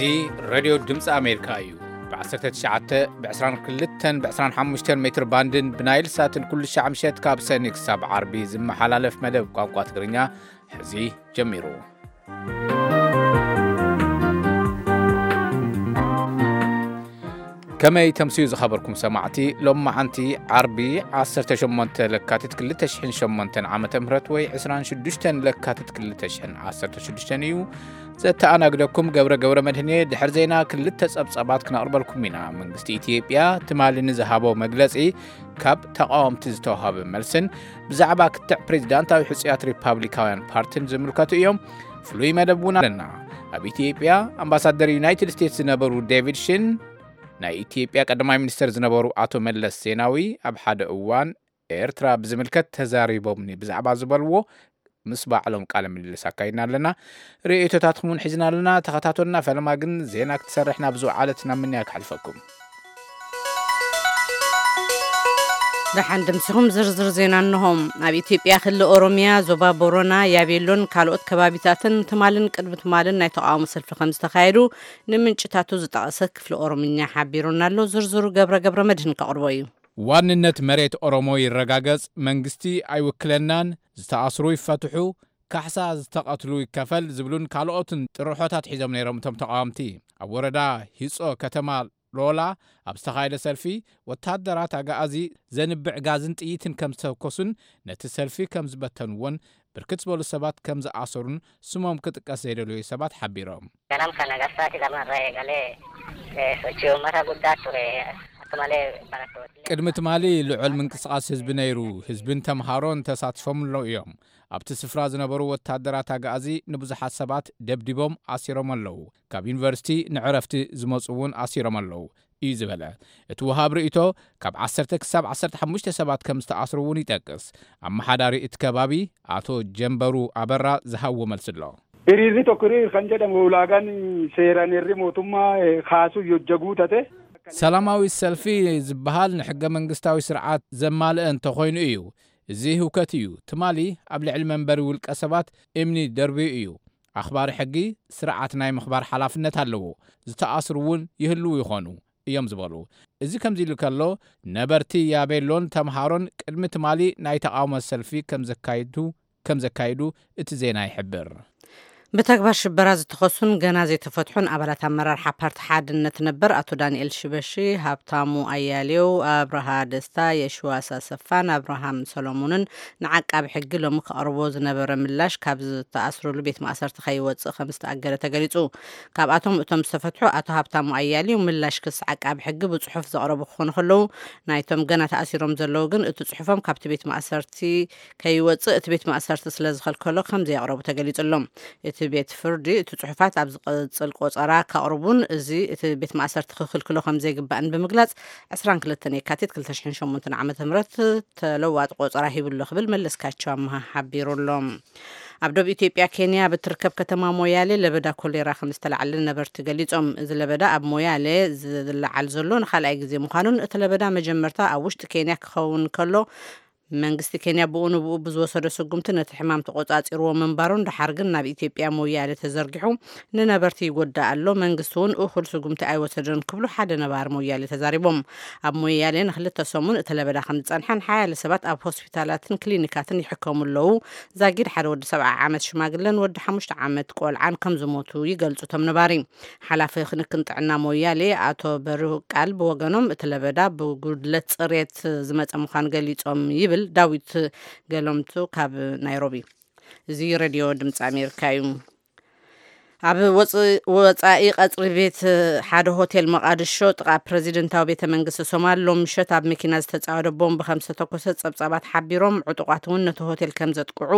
እዚ ሬድዮ ድምፂ ኣሜሪካ እዩ። ብ19፣ ብ22፣ ብ25 ሜትር ባንድን ብናይል ሳትን ኩሉ ሻዕ ምሸት ካብ ሰኒ ክሳብ ዓርቢ ዝመሓላለፍ መደብ ቋንቋ ትግርኛ ሕዚ ጀሚሩ። ከመይ ተምስዩ ዝኸበርኩም ሰማዕቲ፣ ሎም መዓንቲ ዓርቢ 18 ለካቲት 2008 ዓመተ ምህረት ወይ 26 ለካቲት 2016 እዩ። ዘተኣናግደኩም ገብረ ገብረ መድህን እየ። ድሕሪ ዜና ክልተ ጸብጻባት ክነቕርበልኩም ኢና። መንግስቲ ኢትዮጵያ ትማሊ ንዝሃቦ መግለጺ ካብ ተቓወምቲ ዝተዋሃበ መልስን ብዛዕባ ክትዕ ፕሬዚዳንታዊ ሕጹያት ሪፓብሊካውያን ፓርቲን ዝምልከቱ እዮም። ፍሉይ መደብ እውን ኣለና። ኣብ ኢትዮጵያ ኣምባሳደር ዩናይትድ ስቴትስ ዝነበሩ ዴቪድ ሽን፣ ናይ ኢትዮጵያ ቀዳማይ ሚኒስተር ዝነበሩ ኣቶ መለስ ዜናዊ ኣብ ሓደ እዋን ኤርትራ ብዝምልከት ተዛሪቦምኒ ብዛዕባ ዝበልዎ ምስ ባዕሎም ቃለ ምልልስ ኣካይድና ኣለና። ርእይቶታትኩም እውን ሒዝና ኣለና። ተኸታተሉና። ፈለማ ግን ዜና ክትሰርሕ ናብ ዝወዓለት ናብ ምንያ ክሓልፈኩም። ደሓን ደምሲኹም ዝርዝር ዜና እንሆ። ኣብ ኢትዮጵያ ክልል ኦሮሚያ፣ ዞባ ቦረና፣ ያቤሎን ካልኦት ከባቢታትን ትማልን ቅድሚ ትማልን ናይ ተቓውሞ ሰልፊ ከም ዝተኻየዱ ንምንጭታቱ ዝጠቐሰ ክፍሊ ኦሮምኛ ሓቢሩና ኣሎ። ዝርዝሩ ገብረ ገብረ መድህን ከቕርቦ እዩ። ዋንነት መሬት ኦሮሞ ይረጋገጽ፣ መንግስቲ ኣይውክለናን፣ ዝተኣስሩ ይፈትሑ፣ ካሕሳ ዝተቐትሉ ይከፈል ዝብሉን ካልኦትን ጥርሖታት ሒዞም ነይሮም እቶም ተቓወምቲ። ኣብ ወረዳ ሂጾ ከተማ ሎላ ኣብ ዝተኻየደ ሰልፊ፣ ወታደራት ኣጋኣዚ ዘንብዕ ጋዝን ጥይትን ከም ዝተኮሱን ነቲ ሰልፊ ከም ዝበተንዎን ብርክት ዝበሉ ሰባት ከም ዝኣሰሩን ስሞም ክጥቀስ ዘይደለዩ ሰባት ሓቢሮም። Ganama kana garsaati lamarra eegalee, eh, sochii uummata guddaa ture. Akkamalee barattoonni. ቅድሚ ትማሊ ልዑል ምንቅስቓስ ህዝቢ ነይሩ። ህዝብን ተምሃሮን ተሳቲፎም ኣለዉ እዮም። ኣብቲ ስፍራ ዝነበሩ ወታደራት ኣጋኣዚ ንብዙሓት ሰባት ደብዲቦም ኣሲሮም ኣለዉ። ካብ ዩኒቨርሲቲ ንዕረፍቲ ዝመጹ እውን ኣሲሮም ኣለዉ እዩ ዝበለ እቲ ወሃብ ርእይቶ፣ ካብ 10 ክሳብ 15 ሰባት ከም ዝተኣስሩ እውን ይጠቅስ። ኣመሓዳሪ እቲ ከባቢ ኣቶ ጀንበሩ ኣበራ ዝሃብዎ መልሲ ኣሎ። Hiriirri tokko hiriir kan jedhamu ulaagaan seeraan heerri mootummaa, eh, kaasuu yoo jaguu tate. ሰላማዊ ሰልፊ ዝበሃል ንሕገ መንግስታዊ ስርዓት ዘማልአ እንተኾይኑ እዩ። እዚ ህውከት እዩ። ትማሊ ኣብ ልዕሊ መንበሪ ውልቀ ሰባት እምኒ ደርብዩ እዩ። ኣኽባሪ ሕጊ ስርዓት ናይ ምኽባር ሓላፍነት ኣለዎ። ዝተኣስሩ እውን ይህልዉ ይኾኑ እዮም ዝበሉ። እዚ ከምዚ ኢሉ ከሎ፣ ነበርቲ ያቤሎን ተምሃሮን ቅድሚ ትማሊ ናይ ተቓውሞ ሰልፊ ከም ዘካይዱ ከም ዘካይዱ እቲ ዜና ይሕብር። ብተግባር ሽበራ ዝተኸሱን ገና ዘይተፈትሑን ኣባላት ኣመራርሓ ፓርቲ ሓድነት ነበር ኣቶ ዳንኤል ሽበሺ፣ ሃብታሙ ኣያሌው፣ ኣብርሃ ደስታ፣ የሽዋስ ኣሰፋን ኣብርሃም ሰሎሞንን ንዓቃቢ ሕጊ ሎሚ ከቕርቦ ዝነበረ ምላሽ ካብ ዝተኣስሩሉ ቤት ማእሰርቲ ከይወጽእ ከም ዝተኣገደ ተገሊጹ። ካብኣቶም እቶም ዝተፈትሑ ኣቶ ሃብታሙ ኣያሌው ምላሽ ክሲ ዓቃቢ ሕጊ ብጽሑፍ ዘቕረቡ ክኾኑ ከለዉ፣ ናይቶም ገና ተኣሲሮም ዘለዉ ግን እቲ ጽሑፎም ካብቲ ቤት ማእሰርቲ ከይወጽእ እቲ ቤት ማእሰርቲ ስለ ዝኸልከሎ ከም ዘየቕረቡ ተገሊጹ ኣሎ። እቲ ቤት ፍርዲ እቲ ጽሑፋት ኣብ ዝቕጽል ቆጸራ ከቕርቡን እዚ እቲ ቤት ማእሰርቲ ክኽልክሎ ከም ዘይግባእን ብምግላጽ 22 የካቲት 2008 ዓ.ም ተለዋጢ ቆጸራ ሂቡ ኣሎ ክብል መለስካቸው ኣምሃ ሓቢሩ ኣሎ። ኣብ ደቡብ ኢትዮጵያ ኬንያ ብትርከብ ከተማ ሞያሌ ለበዳ ኮሌራ ከም ዝተላዕለ ነበርቲ ገሊጾም። እዚ ለበዳ ኣብ ሞያሌ ዝለዓል ዘሎ ንኻልኣይ ግዜ ምዃኑን እቲ ለበዳ መጀመርታ ኣብ ውሽጢ ኬንያ ክኸውን ከሎ መንግስቲ ኬንያ ብኡ ንብኡ ብዝወሰዶ ስጉምቲ ነቲ ሕማም ተቆጻጺርዎ ምንባሩን ድሓር ግን ናብ ኢትዮጵያ ሞያሌ ተዘርጊሑ ንነበርቲ ይጎድእ ኣሎ፣ መንግስቲ እውን እኹል ስጉምቲ ኣይወሰደን ክብሉ ሓደ ነባሪ ሞያሌ ተዛሪቦም። ኣብ ሞያሌ ንክልተ ሰሙን እቲ ለበዳ ከም ዝጸንሐን ሓያለ ሰባት ኣብ ሆስፒታላትን ክሊኒካትን ይሕከሙ ኣለዉ። ዛጊድ ሓደ ወዲ 70 ዓመት ሽማግለን ወዲ ሓሙሽተ ዓመት ቆልዓን ከም ዝሞቱ ይገልጹ እቶም ነባሪ። ሓላፊ ክንክን ጥዕና ሞያሌ ኣቶ በርሁ ቃል ብወገኖም እቲ ለበዳ ብጉድለት ጽሬት ዝመጸ ምዃኑ ገሊጾም ይብል ዳዊት ገለምቱ ካብ ናይሮቢ። እዚ ሬድዮ ድምፂ ኣሜሪካ እዩ። ኣብ ወፅ-፣ ወፃኢ ቀፅሪ ቤት ሓደ ሆቴል መቓድሾ ጥቓ ፕረዚደንታዊ ቤተ መንግስቲ ሶማል ሎም ምሸት ኣብ መኪና ዝተፃወደ ቦምብ ከም ዝተተኮሰ ፀብፃባት ሓቢሮም፣ ዕጡቋት እውን ነቲ ሆቴል ከም ዘጥቅዑ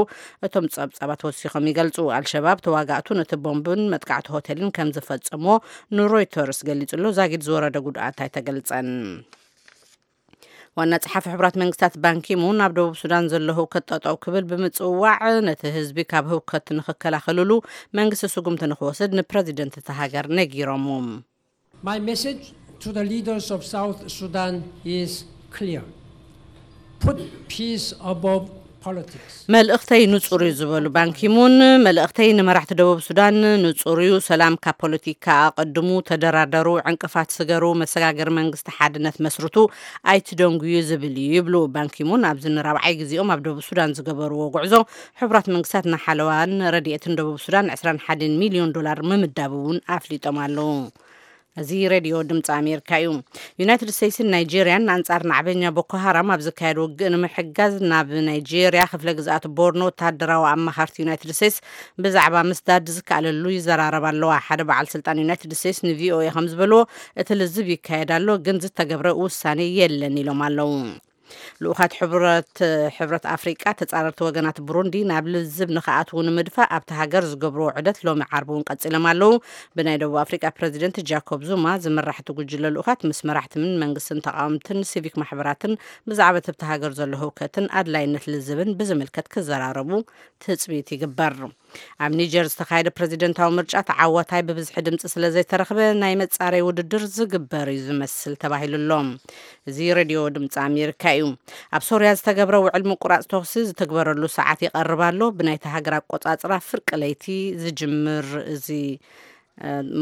እቶም ጸብጻባት ወሲኾም ይገልጹ። ኣልሸባብ ተዋጋእቱ ነቲ ቦምብን መጥቃዕቲ ሆቴልን ከም ዝፈጸሞ ንሮይተርስ ገሊጹ ኣሎ። ዛጊድ ዝወረደ ጉድኣት ኣይተገልጸን። ዋና ጸሓፊ ሕቡራት መንግስታት ባንኪሙን ኣብ ደቡብ ሱዳን ዘሎ ህውከት ጠጠው ክብል ብምጽዋዕ ነቲ ህዝቢ ካብ ህውከት ንኽከላኸልሉ መንግስቲ ስጉምቲ ንኽወስድ ንፕረዚደንት እታ ሃገር ነጊሮም። My message to the leaders of South Sudan is clear. Put peace above መልእኽተይ ንጹር እዩ ዝበሉ ባንኪሙን፣ መልእኽተይ ንመራሕቲ ደቡብ ሱዳን ንጹር እዩ። ሰላም ካብ ፖለቲካ ኣቐድሙ፣ ተደራደሩ፣ ዕንቅፋት ስገሩ፣ መሰጋገሪ መንግስቲ ሓድነት መስርቱ፣ ኣይትደንጉዩ ዝብል እዩ ይብሉ ባንኪሙን። ኣብዚ ንራብዓይ ግዜኦም ኣብ ደቡብ ሱዳን ዝገበርዎ ጉዕዞ፣ ሕቡራት መንግስታት ንሓለዋን ረድኤትን ደቡብ ሱዳን ዕስራን ሓደን ሚልዮን ዶላር ምምዳቡ እውን ኣፍሊጦም ኣለዉ። እዚ ሬድዮ ድምፂ ኣሜሪካ እዩ። ዩናይትድ ስቴትስን ናይጄርያን ኣንጻር ናዕበኛ ቦኮ ሃራም ኣብ ዝካየድ ውግእ ንምሕጋዝ ናብ ናይጄርያ ክፍለ ግዝኣት ቦርኖ ወተሃደራዊ ኣማኻርቲ ዩናይትድ ስቴትስ ብዛዕባ ምስዳድ ዝከኣለሉ ይዘራረባ ኣለዋ። ሓደ በዓል ስልጣን ዩናይትድ ስቴትስ ንቪኦኤ ከም ዝበልዎ፣ እቲ ልዝብ ይካየድ ኣሎ፣ ግን ዝተገብረ ውሳኔ የለን ኢሎም ኣለዉ። ልኡኻት ሕብረት ኣፍሪቃ ተጻረርቲ ወገናት ብሩንዲ ናብ ልዝብ ንኽኣትዉ ንምድፋእ ኣብቲ ሃገር ዝገብርዎ ዑደት ሎሚ ዓርቢ እውን ቀጺሎም ኣለዉ። ብናይ ደቡብ ኣፍሪቃ ፕረዚደንት ጃኮብ ዙማ ዝምራሕ እቲ ጉጅለ ልኡኻት ምስ መራሕትን መንግስትን ተቓወምትን ሲቪክ ማሕበራትን ብዛዕባ እቲ ኣብቲ ሃገር ዘሎ ህውከትን ኣድላይነት ልዝብን ብዝምልከት ክዘራረቡ ትጽቢት ይግበር። ኣብ ኒጀር ዝተኻየደ ፕረዚደንታዊ ምርጫ ተዓዋታይ ብብዝሒ ድምፂ ስለ ዘይተረኽበ ናይ መጻረይ ውድድር ዝግበር እዩ ዝመስል ተባሂሉ ኣሎ። እዚ ሬድዮ ድምፂ ኣሜሪካ እዩ። ኣብ ሶርያ ዝተገብረ ውዕል ምቁራፅ ተኹሲ ዝትግበረሉ ሰዓት ይቐርብ ኣሎ። ብናይቲ ሃገር ኣቆፃፅራ ፍርቂ ለይቲ ዝጅምር እዚ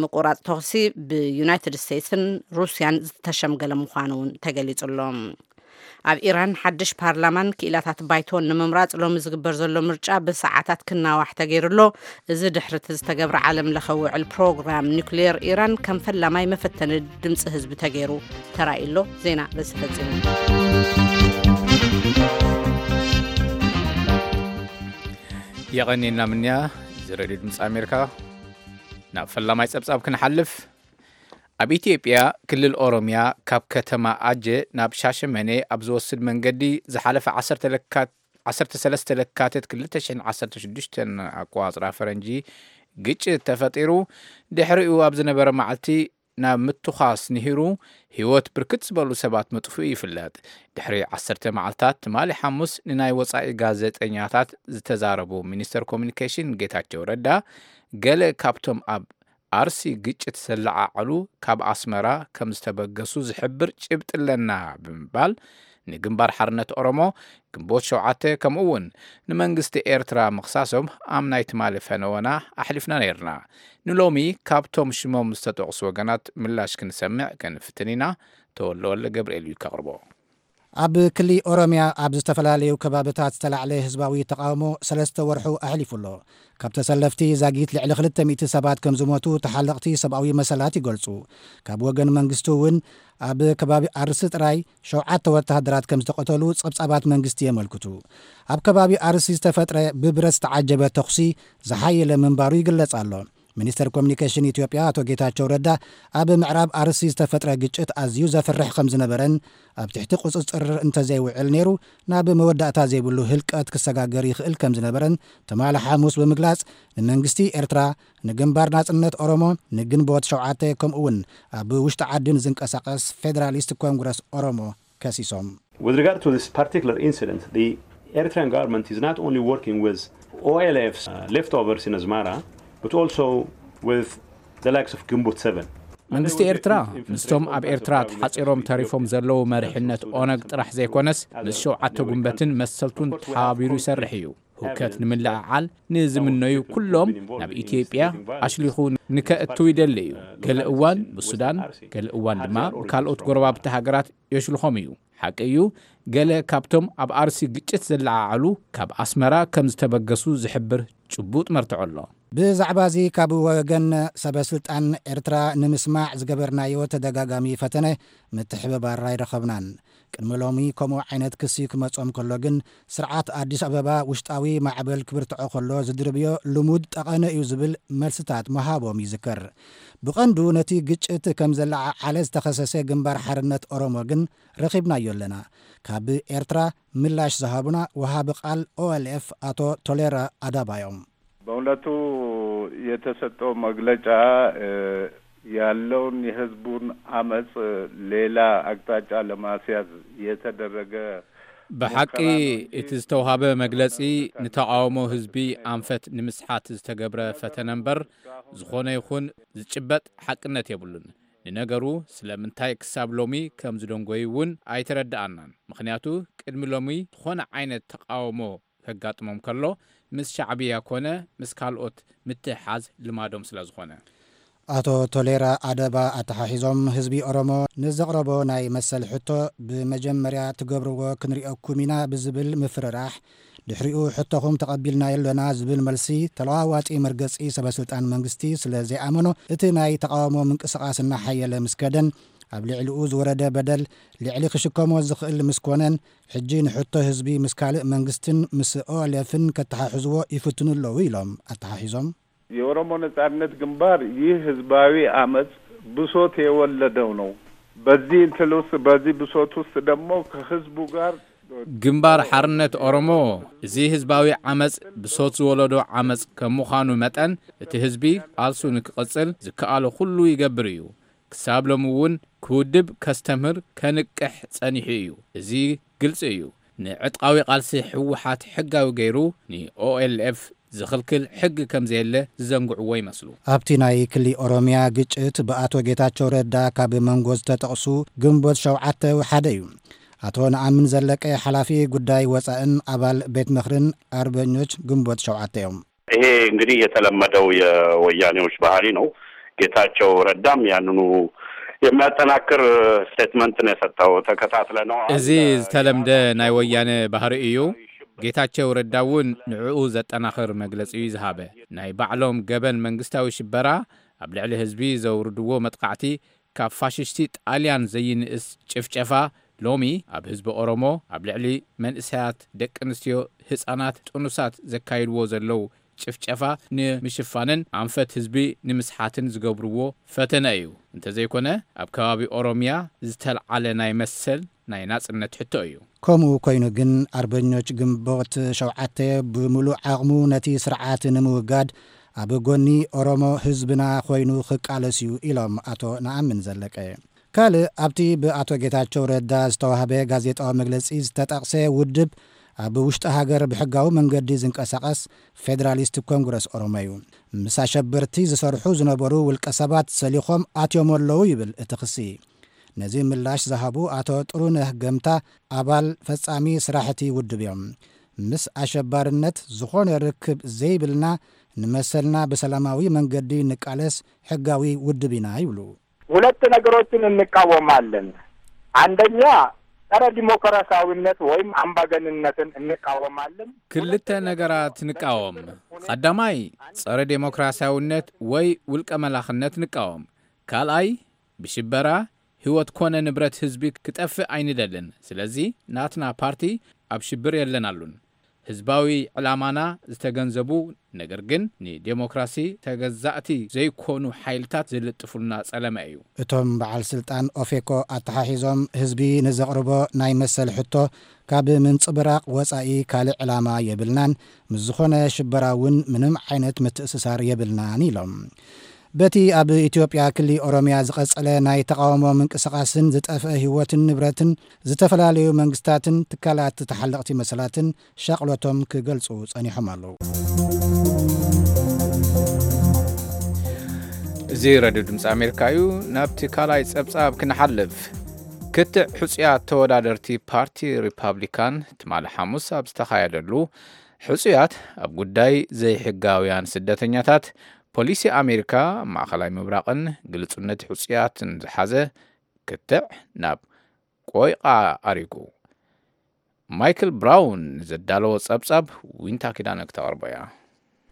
ምቁራፅ ተኹሲ ብዩናይትድ ስቴትስን ሩስያን ዝተሸምገለ ምዃኑ እውን ተገሊፁ ኣሎ። ኣብ ኢራን ሓድሽ ፓርላማን ክኢላታት ባይቶን ንምምራፅ ሎሚ ዝግበር ዘሎ ምርጫ ብሰዓታት ክናዋሕ ተገይሩ ኣሎ። እዚ ድሕሪ እቲ ዝተገብረ ዓለም ለኸ ውዕል ፕሮግራም ኒውክሌር ኢራን ከም ፈላማይ መፈተኒ ድምፂ ህዝቢ ተገይሩ ተራእዩ ኣሎ። ዜና በዚ ፈፂሙ። የቐኒና ምንያ እዚ ሬድዮ ድምፂ ኣሜሪካ። ናብ ፈላማይ ፀብፃብ ክንሓልፍ ኣብ ኢትዮጵያ ክልል ኦሮሚያ ካብ ከተማ ኣጀ ናብ ሻሸመኔ ኣብ ዝወስድ መንገዲ ዝሓለፈ ዓሰርተ ሰለስተ ለካቲት ክልተ ሽሕን ዓሰርተ ሽዱሽተን ኣቆፃፅራ ፈረንጂ ግጭት ተፈጢሩ። ድሕሪኡ ኣብ ዝነበረ መዓልቲ ናብ ምትኳስ ንሂሩ ህይወት ብርክት ዝበሉ ሰባት ምጥፍኡ ይፍለጥ። ድሕሪ ዓሰርተ መዓልታት ትማሊ ሓሙስ ንናይ ወፃኢ ጋዜጠኛታት ዝተዛረቡ ሚኒስተር ኮሚኒኬሽን ጌታቸው ረዳ፣ ገለ ካብቶም ኣብ ኣርሲ ግጭት ዘለዓዕሉ ካብ ኣስመራ ከም ዝተበገሱ ዝሕብር ጭብጢ ኣለና ብምባል ንግንባር ሓርነት ኦሮሞ ግንቦት ሸውዓተ ከምኡ እውን ንመንግስቲ ኤርትራ ምኽሳሶም ኣብ ናይ ትማሊ ፈነወና ኣሕሊፍና ነይርና። ንሎሚ ካብቶም ሽሞም ዝተጠቕሱ ወገናት ምላሽ ክንሰምዕ ክንፍትን ኢና። ተወልደ ወልደ ገብርኤል እዩ ከቕርቦ። ኣብ ክሊ ኦሮሚያ ኣብ ዝተፈላለዩ ከባብታት ዝተላዕለ ህዝባዊ ተቓውሞ ሰለስተ ወርሑ ኣሕሊፉ ኣሎ። ካብ ተሰለፍቲ ዛጊት ልዕሊ ክልተ ሚእቲ ሰባት ከም ዝሞቱ ተሓለቕቲ ሰብኣዊ መሰላት ይገልጹ። ካብ ወገን መንግስቲ እውን ኣብ ከባቢ ኣርሲ ጥራይ ሸውዓተ ወተሃደራት ከም ዝተቐተሉ ጸብጻባት መንግስቲ የመልክቱ። ኣብ ከባቢ ኣርሲ ዝተፈጥረ ብብረት ዝተዓጀበ ተኹሲ ዝሓየለ ምንባሩ ይግለጽ ኣሎ። ሚኒስተር ኮሚኒኬሽን ኢትዮጵያ ኣቶ ጌታቸው ረዳ ኣብ ምዕራብ ኣርሲ ዝተፈጥረ ግጭት ኣዝዩ ዘፍርሕ ከም ዝነበረን ኣብ ትሕቲ ቁጽጽር እንተዘይውዕል ነይሩ ናብ መወዳእታ ዘይብሉ ህልቀት ክሰጋገር ይኽእል ከም ዝነበረን ትማሊ ሓሙስ ብምግላጽ ንመንግስቲ ኤርትራ ንግንባር ናጽነት ኦሮሞ ንግንቦት ሸውዓተ ከምኡ እውን ኣብ ውሽጢ ዓዲ ንዝንቀሳቐስ ፌደራሊስት ኮንግረስ ኦሮሞ ከሲሶም። With regard to this particular incident, the Eritrean government is not only working with O L F's uh, leftovers in Asmara, but also with the likes of Gimbut seven. መንግስቲ ኤርትራ ምስቶም ኣብ ኤርትራ ተሓጺሮም ተሪፎም ዘለዉ መሪሕነት ኦነግ ጥራሕ ዘይኮነስ ምስ ሸውዓተ ጉንበትን መሰልቱን ተሓባቢሩ ይሰርሕ እዩ። ህውከት ንምልዕዓል ንዝምነዩ ኩሎም ናብ ኢትዮጵያ ኣሽሊኹ ንከእትው ይደሊ እዩ። ገለ እዋን ብሱዳን፣ ገለ እዋን ድማ ብካልኦት ጎረባብቲ ሃገራት የሽልኾም እዩ። ሓቂ እዩ፣ ገለ ካብቶም ኣብ ኣርሲ ግጭት ዘለዓዓሉ ካብ ኣስመራ ከም ዝተበገሱ ዝሕብር ጭቡጥ መርትዖ ኣሎ። ብዛዕባ እዚ ካብ ወገን ሰበ ስልጣን ኤርትራ ንምስማዕ ዝገበርናዮ ተደጋጋሚ ፈተነ ምትሕብባር ኣይረኸብናን። ቅድሚ ሎሚ ከምኡ ዓይነት ክሲ ክመጾም ከሎ ግን ስርዓት ኣዲስ ኣበባ ውሽጣዊ ማዕበል ክብርትዖ ከሎ ዝድርብዮ ልሙድ ጠቐነ እዩ ዝብል መልስታት ምሃቦም ይዝከር። ብቐንዱ ነቲ ግጭት ከም ዘለዓዓለ ዝተኸሰሰ ግንባር ሓርነት ኦሮሞ ግን ረኺብናዮ ኣለና። ካብ ኤርትራ ምላሽ ዝሃቡና ወሃቢ ቃል ኦኤልኤፍ ኣቶ ቶሌራ ኣዳባ እዮም። በእውነቱ የተሰጠው መግለጫ ያለውን የህዝቡን አመጽ ሌላ አቅጣጫ ለማስያዝ የተደረገ ብሓቂ እቲ ዝተውሃበ መግለጺ ንተቓውሞ ህዝቢ ኣንፈት ንምስሓት ዝተገብረ ፈተነ እምበር ዝኾነ ይኹን ዝጭበጥ ሓቅነት የብሉን። ንነገሩ ስለምንታይ ክሳብ ሎሚ ከም ዝደንጎዩ እውን ኣይተረድኣናን። ምኽንያቱ ቅድሚ ሎሚ ዝኾነ ዓይነት ተቓውሞ ከጋጥሞም ከሎ፣ ምስ ሻዕብያ ኮነ ምስ ካልኦት ምትሕሓዝ ልማዶም ስለ ዝኾነ። ኣቶ ቶሌራ ኣደባ ኣተሓሒዞም፣ ህዝቢ ኦሮሞ ንዘቕረቦ ናይ መሰል ሕቶ፣ ብመጀመርያ ትገብርዎ ክንሪኦኩም ኢና ብዝብል ምፍርራሕ፣ ድሕሪኡ ሕቶኹም ተቐቢልናዮ ኣለና ዝብል መልሲ፣ ተለዋዋጢ መርገጺ ሰበስልጣን መንግስቲ ስለ ዘይኣመኖ፣ እቲ ናይ ተቓውሞ ምንቅስቓስ እናሓየለ ምስ ከደን፣ ኣብ ልዕሊኡ ዝወረደ በደል ልዕሊ ክሽከሞ ዝኽእል ምስ ኮነን፣ ሕጂ ንሕቶ ህዝቢ ምስ ካልእ መንግስትን ምስ ኦኤልኤፍን ከተሓሕዝዎ ይፍትኑ ኣለዉ ኢሎም ኣተሓሒዞም። የኦሮሞ ነጻነት ግንባር ይህ ህዝባዊ አመጽ ብሶት የወለደው ነው። በዚህ እንትን ውስጥ፣ በዚህ ብሶት ውስጥ ደግሞ ከህዝቡ ጋር ግንባር ሓርነት ኦሮሞ፣ እዚ ህዝባዊ ዓመጽ ብሶት ዝወለዶ ዓመጽ ከም ምዃኑ መጠን፣ እቲ ህዝቢ ቃልሱ ንክቕጽል ዝከኣሎ ኩሉ ይገብር እዩ። ክሳብ ሎሚ እውን ክውድብ፣ ከስተምህር፣ ከንቅሕ ጸኒሑ እዩ። እዚ ግልጺ እዩ። ንዕጥቃዊ ቃልሲ ህወሓት ሕጋዊ ገይሩ ንኦኤልኤፍ ዝኽልክል ሕጊ ከም ዘየለ ዝዘንግዕዎ ይመስሉ። ኣብቲ ናይ ክሊ ኦሮሚያ ግጭት ብኣቶ ጌታቸው ረዳ ካብ መንጎ ዝተጠቕሱ ግንቦት ሸውዓተ ሓደ እዩ። ኣቶ ነኣምን ዘለቀ ሓላፊ ጉዳይ ወፃእን ኣባል ቤት ምኽርን ኣርበኞች ግንቦት ሸውዓተ እዮም። ይሄ እንግዲህ የተለመደው የወያኔዎች ባህሪ ነው። ጌታቸው ረዳም ያንኑ የሚያጠናክር ስቴትመንት ነው የሰጠው። ተከታትለነዋል። እዚ ዝተለምደ ናይ ወያነ ባህሪ እዩ። ጌታቸው ረዳ እውን ንዕኡ ዘጠናኽር መግለጺ እዩ ዝሃበ። ናይ ባዕሎም ገበን መንግስታዊ ሽበራ፣ ኣብ ልዕሊ ህዝቢ ዘውርድዎ መጥቃዕቲ፣ ካብ ፋሽስቲ ጣልያን ዘይንእስ ጭፍጨፋ፣ ሎሚ ኣብ ህዝቢ ኦሮሞ፣ ኣብ ልዕሊ መንእሰያት፣ ደቂ ኣንስትዮ፣ ህጻናት፣ ጥኑሳት ዘካይድዎ ዘለዉ ጭፍጨፋ ንምሽፋንን ኣንፈት ህዝቢ ንምስሓትን ዝገብርዎ ፈተነ እዩ። እንተዘይኮነ፣ ኣብ ከባቢ ኦሮሚያ ዝተልዓለ ናይ መሰል ናይ ናጽነት ሕቶ እዩ። ከምኡ ኮይኑ ግን፣ ኣርበኞች ግንቦት ሸውዓተ ብምሉእ ዓቕሙ ነቲ ስርዓት ንምውጋድ ኣብ ጎኒ ኦሮሞ ህዝብና ኮይኑ ክቃለስ እዩ ኢሎም ኣቶ ነኣምን ዘለቀ። ካልእ ኣብቲ ብኣቶ ጌታቸው ረዳ ዝተዋህበ ጋዜጣዊ መግለጺ ዝተጠቕሰ ውድብ፣ ኣብ ውሽጢ ሃገር ብሕጋዊ መንገዲ ዝንቀሳቐስ ፌደራሊስት ኮንግረስ ኦሮሞ እዩ። ምስ ኣሸበርቲ ዝሰርሑ ዝነበሩ ውልቀ ሰባት ሰሊኾም ኣትዮም ኣለዉ ይብል እቲ ክሲ። ነዚ ምላሽ ዝሃቡ ኣቶ ጥሩነህ ገምታ፣ ኣባል ፈጻሚ ስራሕቲ ውድብ እዮም። ምስ ኣሸባርነት ዝኾነ ርክብ ዘይብልና፣ ንመሰልና ብሰላማዊ መንገዲ ንቃለስ ሕጋዊ ውድብ ኢና ይብሉ። ሁለት ነገሮችን እንቃወማለን። አንደኛ፣ ጸረ ዲሞክራሲያዊነት ወይም አምባገንነትን እንቃወማለን። ክልተ ነገራት ንቃወም። ቀዳማይ፣ ጸረ ዴሞክራሲያዊነት ወይ ውልቀ መላኽነት ንቃወም። ካልኣይ፣ ብሽበራ ህይወት ኮነ ንብረት ህዝቢ ክጠፍእ ኣይንደልን። ስለዚ ናትና ፓርቲ ኣብ ሽብር የለናሉን። ህዝባዊ ዕላማና ዝተገንዘቡ፣ ነገር ግን ንዴሞክራሲ ተገዛእቲ ዘይኮኑ ሓይልታት ዝልጥፉልና ጸለመ እዩ። እቶም በዓል ስልጣን ኦፌኮ ኣተሓሒዞም፣ ህዝቢ ንዘቕርቦ ናይ መሰል ሕቶ ካብ ምንጽብራቕ ወጻኢ ካልእ ዕላማ የብልናን፣ ምስ ዝኾነ ሽበራ እውን ምንም ዓይነት ምትእስሳር የብልናን ኢሎም። በቲ ኣብ ኢትዮጵያ ክሊ ኦሮሚያ ዝቐጸለ ናይ ተቓውሞ ምንቅስቓስን ዝጠፍአ ህይወትን ንብረትን፣ ዝተፈላለዩ መንግስታትን ትካላት ተሓለቕቲ መሰላትን ሻቕሎቶም ክገልጹ ጸኒሖም ኣለዉ። እዚ ሬድዮ ድምፂ ኣሜሪካ እዩ። ናብቲ ካልኣይ ጸብጻብ ክንሓልፍ። ክትዕ ሕጹያት ተወዳደርቲ ፓርቲ ሪፓብሊካን ትማሊ ሓሙስ ኣብ ዝተኻየደሉ፣ ሕጹያት ኣብ ጉዳይ ዘይሕጋውያን ስደተኛታት፣ ፖሊሲ ኣሜሪካ፣ ማእኸላይ ምብራቕን ግልጹነት ሕጹያትን ዝሓዘ ክትዕ ናብ ቆይቓ ኣሪጉ። ማይክል ብራውን ዘዳለዎ ጸብጻብ ዊንታ ኪዳነ ክተቕርቦ እያ።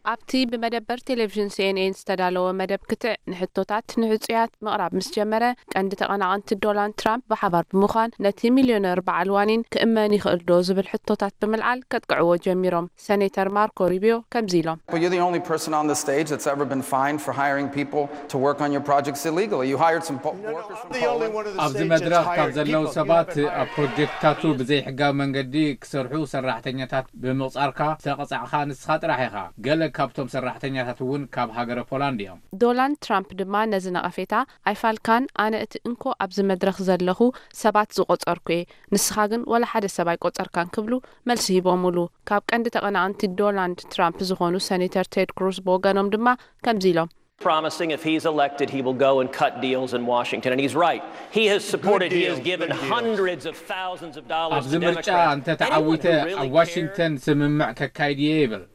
ኣብቲ ብመደበር ቴሌቪዥን ሲኤንኤን ዝተዳለወ መደብ ክትዕ፣ ንሕቶታት ንሕጹያት ምቕራብ ምስ ጀመረ፣ ቀንዲ ተቐናቐንቲ ዶናልድ ትራምፕ ብሓባር ብምዃን፣ ነቲ ሚልዮነር በዓል ዋኒን ክእመን ይኽእል ዶ ዝብል ሕቶታት ብምልዓል ከጥቅዕዎ ጀሚሮም። ሰኔተር ማርኮ ሩቢዮ ከምዚ ኢሎም። Well, you're the only person on the stage that's ever been fined for hiring people to work on your projects illegally. You hired some po- workers from Poland. ኣብዚ መድረኽ ካብ ዘለዉ ሰባት ኣብ ፕሮጀክትታቱ ብዘይሕጋዊ መንገዲ ክሰርሑ ሰራሕተኛታት ብምቕጻርካ ዝተቐጻዕኻ ንስኻ ጥራሕ ኢኻ። ገለ ካብቶም ሰራሕተኛታት እውን ካብ ሃገረ ፖላንድ እዮም። ዶናልድ ትራምፕ ድማ ነዚ ነቐፌታ ኣይፋልካን፣ ኣነ እቲ እንኮ ኣብዚ መድረኽ ዘለኹ ሰባት ዝቖጸርኩ እየ፣ ንስኻ ግን ወላ ሓደ ሰብ ኣይቆጸርካን ክብሉ መልሲ ሂቦምሉ። ካብ ቀንዲ ተቐናቐንቲ ዶናልድ ትራምፕ ዝኾኑ ሰኔተር ቴድ ክሩዝ ብወገኖም ድማ ከምዚ ኢሎም። promising if he's elected, he will go and cut deals in Washington. And he's right. He has supported, he has given hundreds of thousands of dollars ኣብዚ to ምርጫ Democrats. እንተ ተዓዊተ ኣብ ዋሽንግተን ስምምዕ ከካይድ እየ ይብል።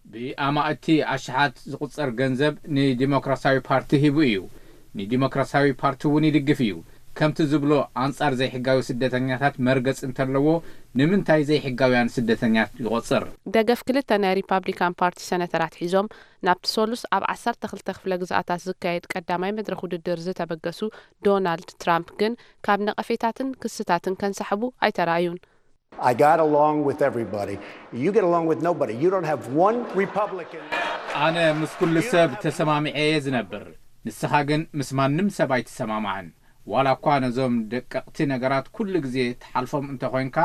ብኣማእቲ ኣሽሓት ዝቑጸር ገንዘብ ንዲሞክራሲያዊ ፓርቲ ሂቡ እዩ። ንዲሞክራሲያዊ ፓርቲ እውን ይድግፍ እዩ። ከምቲ ዝብሎ ኣንጻር ዘይሕጋዊ ስደተኛታት መርገጽ እንተለዎ ንምንታይ ዘይሕጋውያን ስደተኛት ይቖጽር? ደገፍ ክልተ ናይ ሪፓብሊካን ፓርቲ ሰነተራት ሒዞም ናብቲ ሶሉስ ኣብ ዓሰርተ ክልተ ክፍለ ግዝኣታት ዝካየድ ቀዳማይ መድረኽ ውድድር ዝተበገሱ ዶናልድ ትራምፕ ግን ካብ ነቐፌታትን ክስታትን ከንሳሕቡ ኣይተራእዩን። I got along with everybody. You get along with nobody. You don't have one Republican. ኣነ ምስ ኩሉ ሰብ ተሰማሚዐ እየ ዝነብር። ንስኻ ግን ምስ ማንም ሰብ ኣይትሰማማዕን። ዋላ እኳ ነዞም ደቀቕቲ ነገራት ኩሉ ግዜ ትሓልፎም እንተኾይንካ፣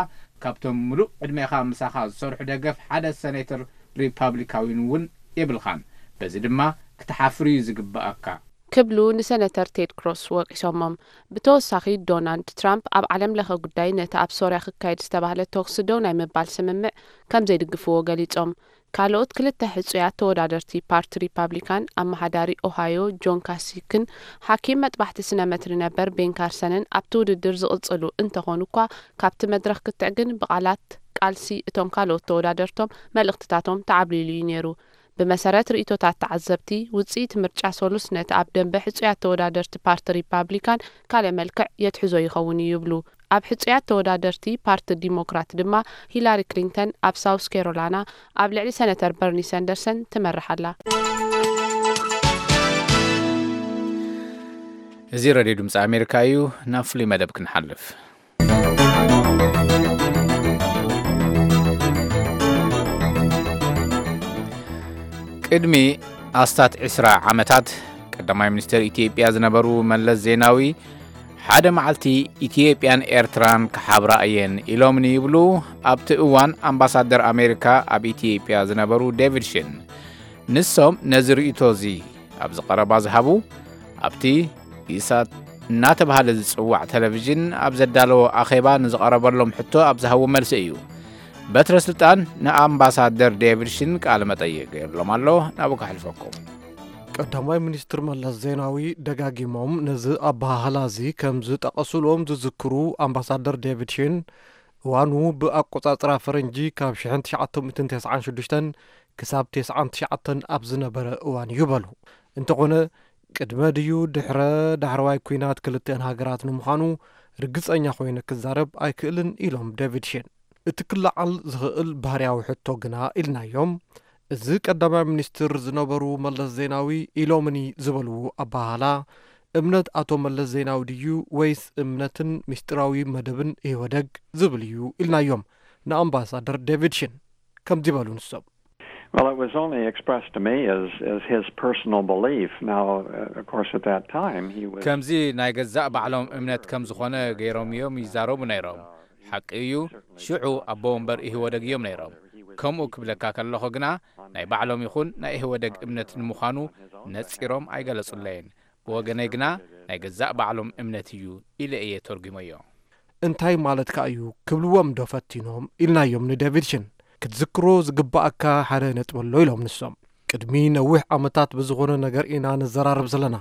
ካብቶም ምሉእ ዕድሜኻ ምሳኻ ዝሰርሑ ደገፍ ሓደ ሰኔተር ሪፓብሊካዊን እውን የብልኻን። በዚ ድማ ክትሓፍር እዩ ዝግብኣካ። ክብሉ ንሰነተር ቴድ ክሮስ ወቂሶሞም። ብተወሳኺ ዶናልድ ትራምፕ ኣብ ዓለም ለኸ ጉዳይ ነቲ ኣብ ሶርያ ክካየድ ዝተባህለ ተኩሲ ደው ናይ ምባል ስምምዕ ከም ዘይድግፍዎ ገሊጾም። ካልኦት ክልተ ሕጹያት ተወዳደርቲ ፓርቲ ሪፓብሊካን ኣመሓዳሪ ኦሃዮ ጆን ካሲክን ሓኪም መጥባሕቲ ስነ መትሪ ነበር ቤን ካርሰንን ኣብቲ ውድድር ዝቕጽሉ እንተኾኑ እኳ ካብቲ መድረኽ ክትዕ ግን ብቓላት ቃልሲ እቶም ካልኦት ተወዳደርቶም መልእኽትታቶም ተዓብሊሉ እዩ ነይሩ። ብመሰረት ርእይቶታት ተዓዘብቲ፣ ውጽኢት ምርጫ ሶሉስ ነቲ ኣብ ደንበ ሕጹያት ተወዳደርቲ ፓርቲ ሪፓብሊካን ካልእ መልክዕ የትሕዞ ይኸውን እዩ ይብሉ። ኣብ ሕጹያት ተወዳደርቲ ፓርቲ ዲሞክራት ድማ ሂላሪ ክሊንተን ኣብ ሳውስ ካሮላና ኣብ ልዕሊ ሰነተር በርኒ ሰንደርሰን ትመርሕ ኣላ። እዚ ረድዮ ድምፂ ኣሜሪካ እዩ። ናብ ፍሉይ መደብ ክንሓልፍ። ቅድሚ ኣስታት ዕስራ ዓመታት ቀዳማይ ሚኒስትር ኢትዮጵያ ዝነበሩ መለስ ዜናዊ ሓደ መዓልቲ ኢትዮጵያን ኤርትራን ክሓብራ እየን ኢሎምኒ ይብሉ ኣብቲ እዋን ኣምባሳደር ኣሜሪካ ኣብ ኢትዮጵያ ዝነበሩ ዴቪድ ሽን። ንሶም ነዚ ርእይቶ እዚ ኣብዚ ቀረባ ዝሃቡ ኣብቲ ኢሳት እናተባህለ ዝጽዋዕ ቴሌቪዥን ኣብ ዘዳለዎ ኣኼባ ንዝቐረበሎም ሕቶ ኣብ ዝሃቡ መልሲ እዩ። በትረ ስልጣን ንኣምባሳደር ዴቪድ ሽን ቃለ መጠይቕ ገይርሎም ኣሎ። ናብኡ ከሕልፈኩም። ቀዳማይ ሚኒስትር መለስ ዜናዊ ደጋጊሞም ነዚ ኣበሃህላ እዚ ከም ዝጠቐሱሎም ዝዝክሩ ኣምባሳደር ዴቪድ ሽን፣ እዋኑ ብኣቆጻጽራ ፈረንጂ ካብ ሽሕን ትሽዓተ ሚእትን ተስዓን ሽዱሽተን ክሳብ ተስዓን ትሽዓተን ኣብ ዝነበረ እዋን እዩ በሉ። እንተኾነ ቅድመ ድዩ ድሕረ ዳሕረዋይ ኲናት ክልቲኣን ሃገራት ንምዃኑ ርግጸኛ ኮይነ ክዛረብ ኣይክእልን ኢሎም ዴቪድ ሽን። እቲ ክለዓል ዝኽእል ባህርያዊ ሕቶ ግና ኢልናዮም፣ እዚ ቀዳማይ ሚኒስትር ዝነበሩ መለስ ዜናዊ ኢሎምኒ ዝበልዎ ኣበሃህላ እምነት ኣቶ መለስ ዜናዊ ድዩ ወይስ እምነትን ምስጢራዊ መደብን ኢህወደግ ዝብል እዩ ኢልናዮም ንኣምባሳደር ዴቪድ ሽን። ከምዚ በሉ ንሶም። Well, it was only expressed to me as, as his personal belief. Now, uh, of course, at that time, he was. ከምዚ ናይ ገዛእ ባዕሎም እምነት ከም ዝኾነ ገይሮም እዮም ይዛረቡ ነይሮም። ሓቂ እዩ፣ ሽዑ ኣቦ ወንበር ኢህወደግ እዮም ነይሮም። ከምኡ ክብለካ ከለኹ ግና ናይ ባዕሎም ይኹን ናይ ኢህወደግ እምነት ንምዃኑ ነጺሮም ኣይገለጹለይን። ብወገነይ ግና ናይ ገዛእ ባዕሎም እምነት እዩ ኢለ እየ ተርጒመዮ። እንታይ ማለትካ እዩ ክብልዎም ዶ ፈቲኖም ኢልናዮም ንዴቪድ ሽን። ክትዝክሮ ዝግባኣካ ሓደ ነጥቢ ኣሎ ኢሎም ንሶም። ቅድሚ ነዊሕ ዓመታት ብዝኾነ ነገር ኢና ንዘራረብ ዘለና።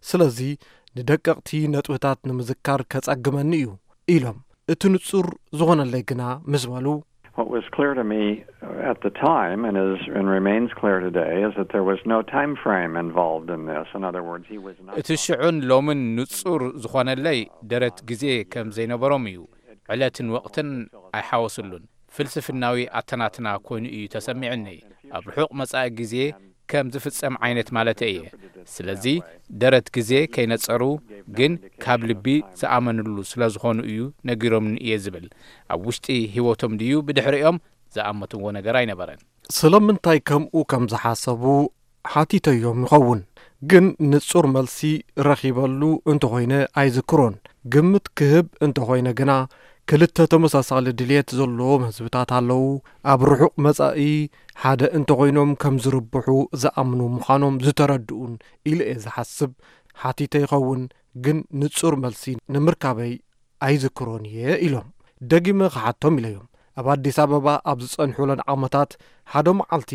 ስለዚ ንደቀቕቲ ነጥብታት ንምዝካር ከጸግመኒ እዩ ኢሎም። እቲ ንጹር ዝኾነለይ ግና ምስ በሉ። What was clear to me at the time and is and remains clear today is that there was no time frame involved in this. In other words, he was not. እቲ ሽዑን ሎምን ንጹር ዝኾነለይ ደረት ግዜ ከም ዘይነበሮም እዩ። ዕለትን ወቕትን ኣይሓወስሉን። ፍልስፍናዊ ኣተናትና ኮይኑ እዩ ተሰሚዑኒ። ኣብ ርሑቕ መጻኢ ግዜ ከም ዝፍጸም ዓይነት ማለተይ እየ። ስለዚ ደረት ግዜ ከይነጸሩ ግን ካብ ልቢ ዝኣመንሉ ስለ ዝኾኑ እዩ ነጊሮምኒ እየ ዝብል። ኣብ ውሽጢ ህይወቶም ድዩ ብድሕሪኦም ዝኣመትዎ ነገር ኣይነበረን። ስለምንታይ ከምኡ ከም ዝሓሰቡ ሓቲተዮም ይኸውን። ግን ንጹር መልሲ ረኺበሉ እንተኾይነ ኣይዝክሮን። ግምት ክህብ እንተኾይነ ግና ክልተ ተመሳሳሊ ድልየት ዘለዎም ህዝብታት ኣለዉ። ኣብ ርሑቕ መጻኢ ሓደ እንተኾይኖም ከም ዝርብሑ ዝኣምኑ ምዃኖም ዝተረድኡን ኢለ እየ ዝሓስብ። ሓቲተ ይኸውን ግን ንጹር መልሲ ንምርካበይ ኣይዝክሮን እየ ኢሎም። ደጊመ ክሓቶም ኢለዮም። ኣብ ኣዲስ ኣበባ ኣብ ዝጸንሑለን ዓመታት ሓደ መዓልቲ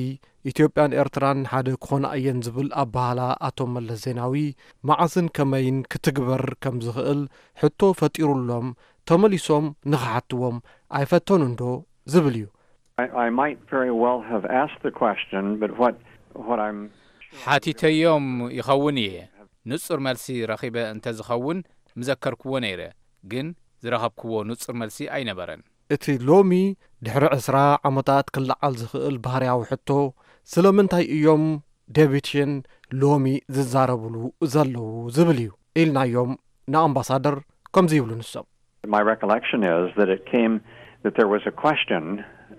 ኢትዮጵያን ኤርትራን ሓደ ክኾና እየን ዝብል ኣባህላ ኣቶ መለስ ዜናዊ መዓስን ከመይን ክትግበር ከም ዝኽእል ሕቶ ፈጢሩሎም፣ ተመሊሶም ንኽሓትዎም ኣይፈተኑን ዶ ዝብል እዩ። I, I might very well have asked the question, but what what I'm ሓቲተዮም ይኸውን እየ። ንጹር መልሲ ረኺበ እንተ ዝኸውን ምዘከርክዎ ነይረ፣ ግን ዝረኸብክዎ ንጹር መልሲ ኣይነበረን። እቲ ሎሚ ድሕሪ ዕስራ ዓመታት ክለዓል ዝኽእል ባህርያዊ ሕቶ፣ ስለምንታይ እዮም ዴቪድ ሽን ሎሚ ዝዛረብሉ ዘለዉ ዝብል እዩ ኢልናዮም ንኣምባሳደር። ከምዚ ይብሉ ንሶም። My recollection is that it came that there was a question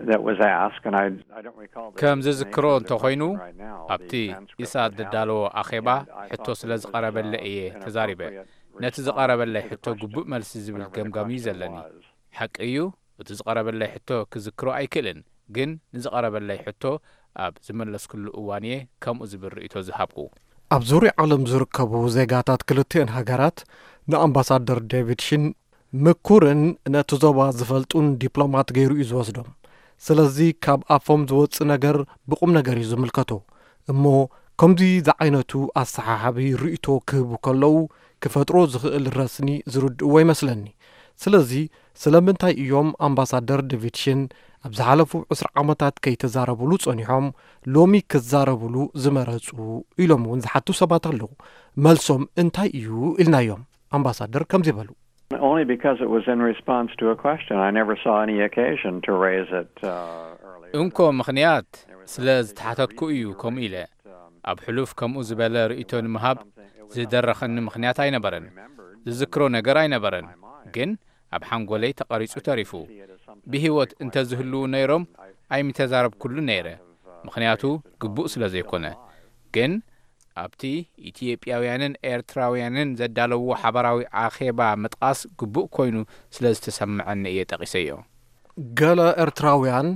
that was asked, and I, I don't recall the ከም name ዝዝክሮ of the እንተኾይኑ question right now, ኣብቲ the transcript ኢሳት that ዘዳለዎ happened, ኣኼባ and I ሕቶ thought ስለ that it was, ዝቐረበለ uh, እየ an ተዛሪበ። appropriate ነቲ response ዝቐረበለይ to the ሕቶ question, ግቡእ መልሲ ዝብል whatever the ገምጋም እዩ question ዘለኒ። Was. ሓቂ እዩ፣ እቲ ዝቐረበለይ ሕቶ ክዝክሮ ኣይክእልን፣ ግን ንዝቐረበለይ ሕቶ ኣብ ዝመለስኩሉ እዋን እየ ከምኡ ዝብል ርእይቶ ዝሃብኩ። ኣብ ዙርያ ዓለም ዝርከቡ ዜጋታት ክልቲአን ሃገራት ንኣምባሳደር ዴቪድ ሽን ምኩርን ነቲ ዞባ ዝፈልጡን ዲፕሎማት ገይሩ እዩ ዝወስዶም። ስለዚ ካብ ኣፎም ዝወጽእ ነገር ብቑም ነገር እዩ ዝምልከቶ። እሞ ከምዚ ዝዓይነቱ ኣሰሓሓቢ ርእይቶ ክህቡ ከለዉ ክፈጥሮ ዝኽእል ረስኒ ዝርድእዎ ይመስለኒ። ስለዚ ስለምንታይ እዮም ኣምባሳደር ዴቪድ ሽን ኣብ ዝሓለፉ ዕስራ ዓመታት ከይተዛረብሉ ጸኒሖም ሎሚ ክዛረብሉ ዝመረጹ ኢሎም እውን ዝሓቱ ሰባት ኣለዉ። መልሶም እንታይ እዩ ኢልናዮም ኣምባሳደር ከምዚ በሉ። Only because it was in response to a question. I never saw any occasion to raise it uh, earlier. እንኮ ምኽንያት ስለ ዝተሓተትኩ እዩ ከምኡ ኢለ። ኣብ ሕሉፍ ከምኡ ዝበለ ርእይቶ ንምሃብ ዝደረኸኒ ምኽንያት ኣይነበረን። ዝዝክሮ ነገር ኣይነበረን፣ ግን ኣብ ሓንጎለይ ተቐሪጹ ተሪፉ። ብህይወት እንተዝህልዉ ነይሮም ኣይምተዛረብኩሉ ነይረ፣ ምኽንያቱ ግቡእ ስለ ዘይኮነ። ግን ኣብቲ ኢትዮጵያውያንን ኤርትራውያንን ዘዳለዎ ሓባራዊ ኣኼባ ምጥቓስ ግቡእ ኮይኑ ስለ ዝተሰምዐኒ እየ ጠቒሰዮ። ገለ ኤርትራውያን፣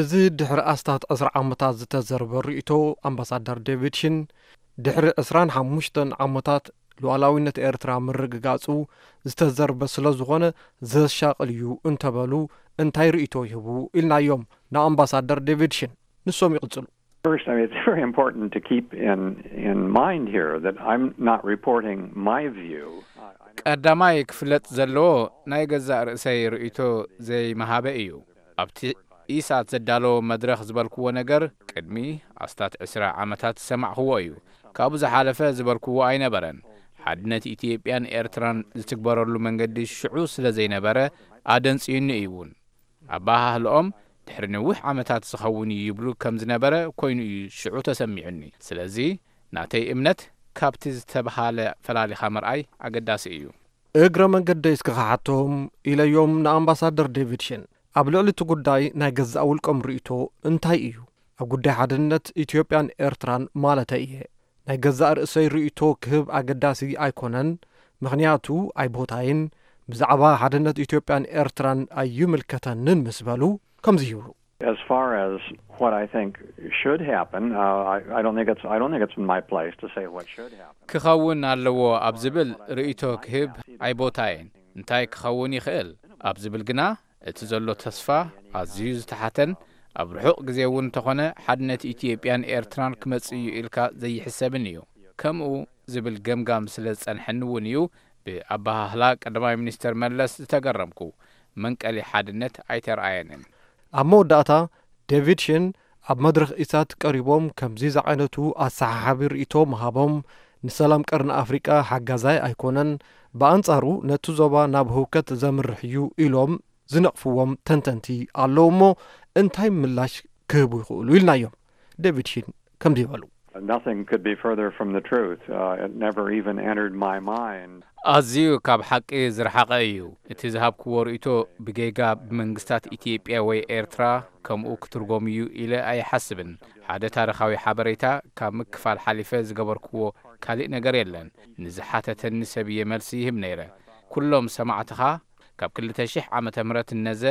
እዚ ድሕሪ ኣስታት ዕስራ ዓመታት ዝተዘርበ ርእይቶ ኣምባሳደር ዴቪድ ሽን ድሕሪ ዕስራን ሓሙሽተን ዓመታት ሉዓላዊነት ኤርትራ ምርግጋጹ ዝተዘርበ ስለ ዝኾነ ዘሻቕል እዩ እንተበሉ እንታይ ርእይቶ ይህቡ ኢልናዮም ንኣምባሳደር ዴቪድ ሽን። ንሶም ይቕጽሉ። First, I mean, it's very important to keep in in mind here that I'm not reporting my view. I, I never ቀዳማይ ክፍለጥ ዘለዎ ናይ ገዛእ ርእሰይ ርእይቶ ዘይምሃበ እዩ። ኣብቲ ኢሳት ዘዳለዎ መድረኽ ዝበልክዎ ነገር ቅድሚ ኣስታት ዕስራ ዓመታት ዝሰማዕኽዎ እዩ። ካብኡ ዝሓለፈ ዝበልክዎ ኣይነበረን። ሓድነት ኢትዮጵያን ኤርትራን ዝትግበረሉ መንገዲ ሽዑ ስለ ዘይነበረ ኣደንጽዩኒ እዩ እውን። ኣበሃህልኦም ድሕሪ ነዊሕ ዓመታት ዝኸውን እዩ ይብሉ ከም ዝነበረ ኮይኑ እዩ ሽዑ ተሰሚዑኒ። ስለዚ ናተይ እምነት ካብቲ ዝተብሃለ ፈላሊኻ ምርኣይ ኣገዳሲ እዩ። እግረ መንገደይ እስኪ ክሓቶም ኢለዮም ንኣምባሳደር ዴቪድ ሽን። ኣብ ልዕሊ እቲ ጉዳይ ናይ ገዛእ ውልቆም ርእይቶ እንታይ እዩ? ኣብ ጉዳይ ሓድነት ኢትዮጵያን ኤርትራን ማለተይ እየ። ናይ ገዛእ ርእሰይ ርእይቶ ክህብ ኣገዳሲ ኣይኮነን፣ ምኽንያቱ ኣይቦታይን፣ ብዛዕባ ሓድነት ኢትዮጵያን ኤርትራን ኣይምልከተንን ምስ በሉ ከምዚ ይብሉ። As far as what I think should happen, uh, I, I don't think it's I don't think it's my place to say what should happen. ክኸውን ኣለዎ ኣብ ዝብል ርእይቶ ክህብ ኣይቦታየን። እንታይ ክኸውን ይኽእል ኣብ ዝብል ግና እቲ ዘሎ ተስፋ ኣዝዩ ዝተሓተን ኣብ ርሑቕ ግዜ እውን እንተኾነ ሓድነት ኢትዮጵያን ኤርትራን ክመጽእ እዩ ኢልካ ዘይሕሰብን እዩ። ከምኡ ዝብል ገምጋም ስለ ዝጸንሐኒ እውን እዩ ብኣበሃህላ ቀዳማይ ሚኒስተር መለስ ዝተገረምኩ። መንቀሊ ሓድነት ኣይተረኣየንን። ኣብ መወዳእታ ዴቪድ ሽን ኣብ መድረኽ ኢሳት ቀሪቦም ከምዚ ዝዓይነቱ ኣሰሓሓቢ ርእይቶ ምሃቦም ንሰላም ቀርኒ ኣፍሪቃ ሓጋዛይ ኣይኮነን፣ ብኣንጻሩ ነቲ ዞባ ናብ ህውከት ዘምርሕ እዩ ኢሎም ዝነቕፍዎም ተንተንቲ ኣለዉ እሞ እንታይ ምላሽ ክህቡ ይኽእሉ ኢልናዮም። ዴቪድ ሽን ከምዚ ይበሉ። Nothing could be further from the truth. Uh, it never even entered my mind. ኣዝዩ ካብ ሓቂ ዝረሓቐ እዩ። እቲ ዝሃብክዎ ርእይቶ ብጌጋ ብመንግስታት ኢትዮጵያ ወይ ኤርትራ ከምኡ ክትርጎም እዩ ኢለ ኣይሓስብን። ሓደ ታሪኻዊ ሓበሬታ ካብ ምክፋል ሓሊፈ ዝገበርክዎ ካልእ ነገር የለን። ንዝሓተተኒ ሰብ እየ መልሲ ይህብ ነይረ። ኩሎም ሰማዕትኻ ካብ ክልተ ሽሕ ዓመተ ምህረት እነዘ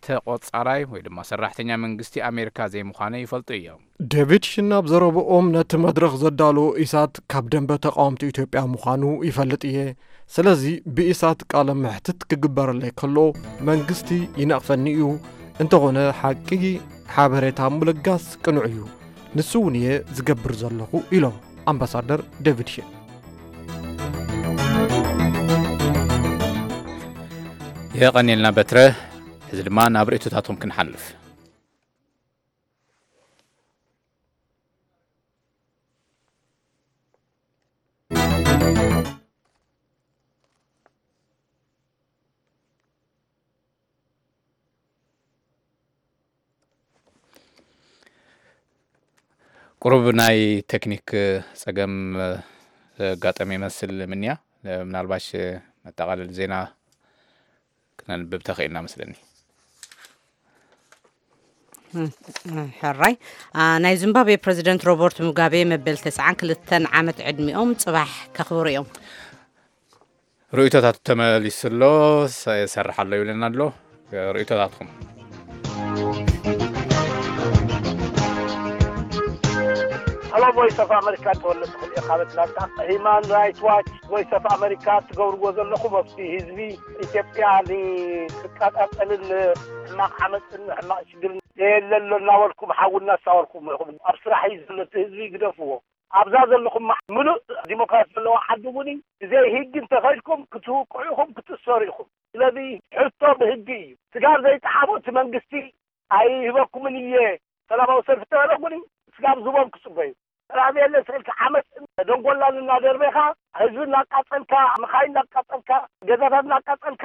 ተቖጻራይ ወይ ድማ ሰራሕተኛ መንግስቲ ኣሜሪካ ዘይምዃነ ይፈልጡ እዮም። ዴቪድ ሽን ኣብ ዘረብኦም ነቲ መድረኽ ዘዳለዎ ኢሳት ካብ ደንበ ተቓወምቲ ኢትዮጵያ ምዃኑ ይፈልጥ እየ። ስለዚ ብኢሳት ቃለ መሕትት ክግበረለይ ከሎ መንግስቲ ይነቕፈኒ እዩ፣ እንተኾነ ሓቂ ሓበሬታ ምልጋስ ቅኑዕ እዩ። ንሱ እውን እየ ዝገብር ዘለኹ ኢሎም ኣምባሳደር ዴቪድ ሺን። የቐንየልና በትረ። ሕዚ ድማ ናብ ርእይቶታቶም ክንሓልፍ። ቁሩብ ናይ ቴክኒክ ጸገም ዘጋጠመ ይመስል ምንያ። ምናልባሽ መጠቓለሊ ዜና ክነንብብ ተኽኢልና መስለኒ። ሕራይ። ናይ ዚምባብዌ ፕረዚደንት ሮበርት ሙጋቤ መበል ተስዓን ክልተን ዓመት ዕድሚኦም ጽባሕ ከኽብሩ እዮም። ርእይቶታት ተመሊሱ ኣሎ። ይሰርሕ ኣሎ ይብለና ኣሎ። ርእይቶታትኩም። ሀሎ ቮይስ ኦፍ ኣመሪካ፣ ተወለድኩ እየ ካብ ኣትላንታ። ሂማን ራይት ዋች፣ ቮይስ ኦፍ ኣመሪካ ትገብርዎ ዘለኹም ኣብቲ ህዝቢ ኢትዮጵያ ንክቃጻጸልን ሕማቕ ዓመፅን ሕማቕ ሽግርን የለ ኣሎ እናበልኩም ሓዊ እናሳወርኩም ኢኹም። ኣብ ስራሕ እዩ ዘሎ እቲ ህዝቢ ግደፍዎ። ኣብዛ ዘለኹም ምሉእ ዲሞክራሲ ዘለዎ ዓዲ እውን ብዘይ ህጊ እንተኸድኩም ክትውቅዑ ኢኹም ክትእሰሩ ኢኹም። ስለዚ ሕቶ ብህጊ እዩ። ስጋብ ዘይጠሓቦ እቲ መንግስቲ ኣይህበኩምን እየ ሰላማዊ ሰልፊ ተበለ እውን ስጋብ ዝቦም ክፅበዩ። ሰላም የለ ስልክ ዓመት ደንጎላን እናደርበኻ ህዝቢ እናቃፀልካ መኻይን እናቃፀልካ ገዛታት እናቃፀልካ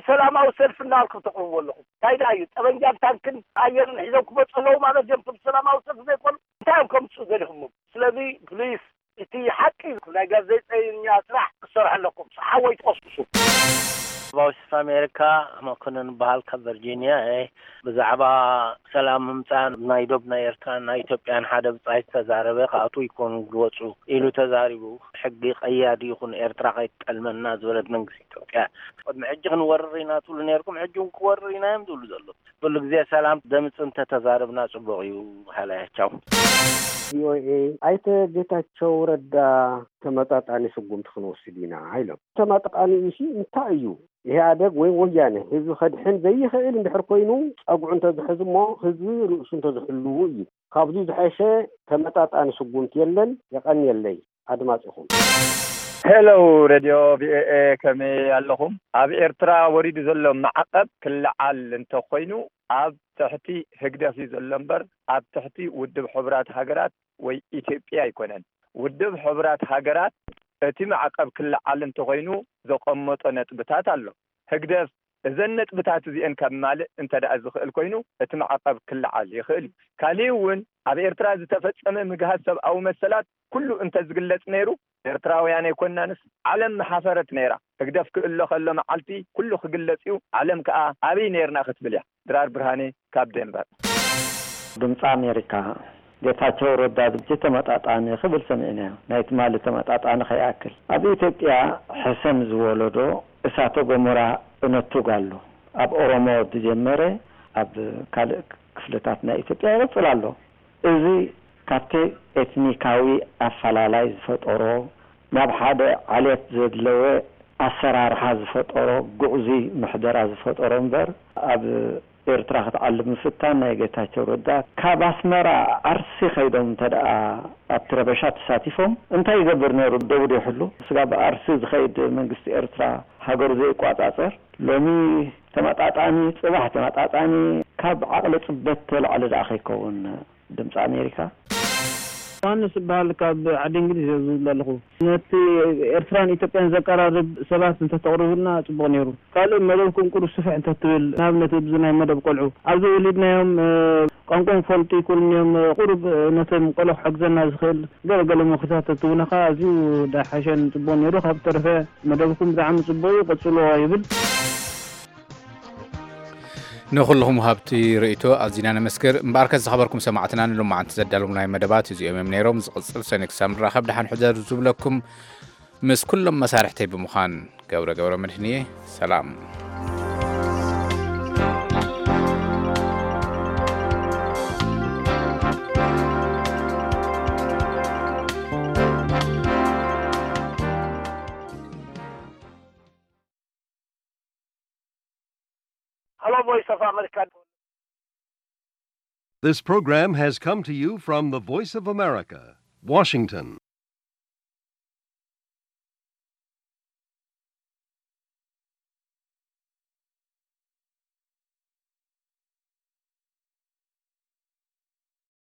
ሰላማዊ ሰልፊ እናበልኩም ተቕርቡ ኣለኹም። እንታይ ደኣ እዩ ጠበንጃን ታንክን ኣየርን ሒዞም ክመፁ ኣለዉ ማለት እዮም? እቶም ሰላማዊ ሰልፊ ዘይኮኑ እንታይ እዮም ከምፅኡ ገዲኹሞም? ስለዚ ፕሊስ እቲ ሓቂ ናይ ጋዜጠኛ ስራሕ ክሰርሑ ኣለኩም። ሓወይ ትቐስቅሱ። ቫውስ ኦፍ ኣሜሪካ መኮንን በሃል ካብ ቨርጂኒያ እየ። ብዛዕባ ሰላም ምምፃእ ናይ ዶብ ናይ ኤርትራን ናይ ኢትዮጵያን ሓደ ብፃይ ዝተዛረበ ክኣትዉ ይኮኑ ዝወፁ ኢሉ ተዛሪቡ። ሕጊ ቀያዲ ይኹን ኤርትራ ከይትጠልመና ዝበለት መንግስቲ ኢትዮጵያ። ቅድሚ ሕጂ ክንወርር ኢና ትብሉ ነርኩም፣ ሕጂ እውን ክወርር ኢና እዮም ዝብሉ ዘለዉ። ኩሉ ግዜ ሰላም ደምፅ እንተተዛረብና ፅቡቅ እዩ። ሃላያቻው ቪኦኤ ኣይተ ጌታቸው ረዳ ተመጣጣኒ ስጉምቲ ክንወስድ ኢና ኢሎም። ተመጣጣኒ ኢሲ እንታይ እዩ? ኢህኣደግ ወይ ወያነ ህዝቢ ከድሕን ዘይኽእል እንድሕር ኮይኑ ፀጉዑ እንተዝሕዝ እሞ ህዝቢ ርእሱ እንተዝሕልዉ እዩ። ካብዚ ዝሐሸ ተመጣጣኒ ስጉምቲ የለን። የቐንየለይ ኣድማፂኹም። ሄሎ ሬድዮ ቪኦኤ፣ ከመይ ኣለኹም? ኣብ ኤርትራ ወሪዱ ዘሎ ማዕቐብ ክለዓል እንተኾይኑ ኣብ ትሕቲ ህግደፍ እዩ ዘሎ እምበር ኣብ ትሕቲ ውድብ ሕቡራት ሃገራት ወይ ኢትዮጵያ ኣይኮነን። ውድብ ሕቡራት ሃገራት እቲ ማዕቐብ ክለዓል እንተኾይኑ ዘቐመጦ ነጥብታት ኣሎ። ህግደፍ እዘን ነጥብታት እዚአን ካብ ማልእ እንተ ደኣ ዝኽእል ኮይኑ እቲ ማዕቐብ ክለዓል ይኽእል እዩ። ካሊእ እውን ኣብ ኤርትራ ዝተፈጸመ ምግሃስ ሰብኣዊ መሰላት ኩሉ እንተ ዝግለጽ ነይሩ ኤርትራውያን ኣይኮናንስ ዓለም ምሓፈረት ነይራ። ህግደፍ ክእሎ ከሎ መዓልቲ ኩሉ ክግለጽ እዩ። ዓለም ከኣ ኣበይ ነይርና ክትብል እያ። ድራር ብርሃኔ ካብ ዴንቨር። ድምፂ ኣሜሪካ፣ ጌታቸው ረዳ ሕጂ ተመጣጣኒ ክብል ሰሚዕናዮ። ናይ ትማሊ ተመጣጣኒ ከይኣክል ኣብ ኢትዮጵያ ሕሰም ዝወለዶ እሳተ ጎመራ እነቱግ ኣሎ። ኣብ ኦሮሞ ዝጀመረ ኣብ ካልእ ክፍልታት ናይ ኢትዮጵያ ይቕፅል ኣሎ። እዚ ካብቲ ኤትኒካዊ ኣፈላላይ ዝፈጠሮ ናብ ሓደ ዓሌት ዘድለወ ኣሰራርሓ ዝፈጠሮ ግዕዙይ ምሕደራ ዝፈጠሮ እምበር ኣብ ኤርትራ ክትዓልብ ምፍታን ናይ ጌታቸው ረዳ ካብ ኣስመራ ዓርሲ ከይዶም እንተ ደኣ ኣብቲ ረበሻ ተሳቲፎም እንታይ ይገብር ነይሩ? ደው ዶ ይሕሉ? ስጋብ ዓርሲ ዝኸይድ መንግስቲ ኤርትራ ሃገሩ ዘይቋጻጸር ሎሚ ተመጣጣኒ ጽባሕ ተመጣጣኒ ካብ ዓቕሊ ጽበት ተላዕሊ ደኣ ከይከውን ድምፂ ኣሜሪካ። ዮሃንስ እበሃል ካብ ዓዲ እንግሊዝ እየ ዝብል ዘለኹ። ነቲ ኤርትራን ኢትዮጵያን ዘቀራርብ ሰባት እንተተቕርቡልና ጽቡቕ ነይሩ። ካልእ መደብኩም ቁሩብ ስፍሕ እንተትብል፣ ንኣብነት ኣብዚ ናይ መደብ ቆልዑ ኣብዚ ወሊድናዮም ቋንቋኦም ክፈልጡ ይክእሉ እዮም። ቁሩብ ነቶም ቆልዑ ክሕግዘና ዝኽእል ገለ ገለ ምኽርታት ተትህቡና ከኣ ኣዝዩ ዳሓሸን ጽቡቕ ነይሩ። ካብ ተረፈ መደብኩም ብጣዕሚ ጽቡቕ እዩ፣ ቀጽልዎ ይብል። ንኹልኹም ሃብቲ ርእይቶ ኣዚና ነመስግር። እምበኣርከስ ዝኸበርኩም ሰማዕትና ንሎማዓንቲ ዘዳለውናይ መደባት እዚኦም እዮም ነይሮም። ዝቕጽል ሰኒ ክሳብ ንራኸብ ደሓን ሕደሩ ዝብለኩም ምስ ኩሎም መሳርሕተይ ብምዃን ገብረ ገብረ መድህን እየ። ሰላም። Hello, Voice of America. This program has come to you from the Voice of America, Washington.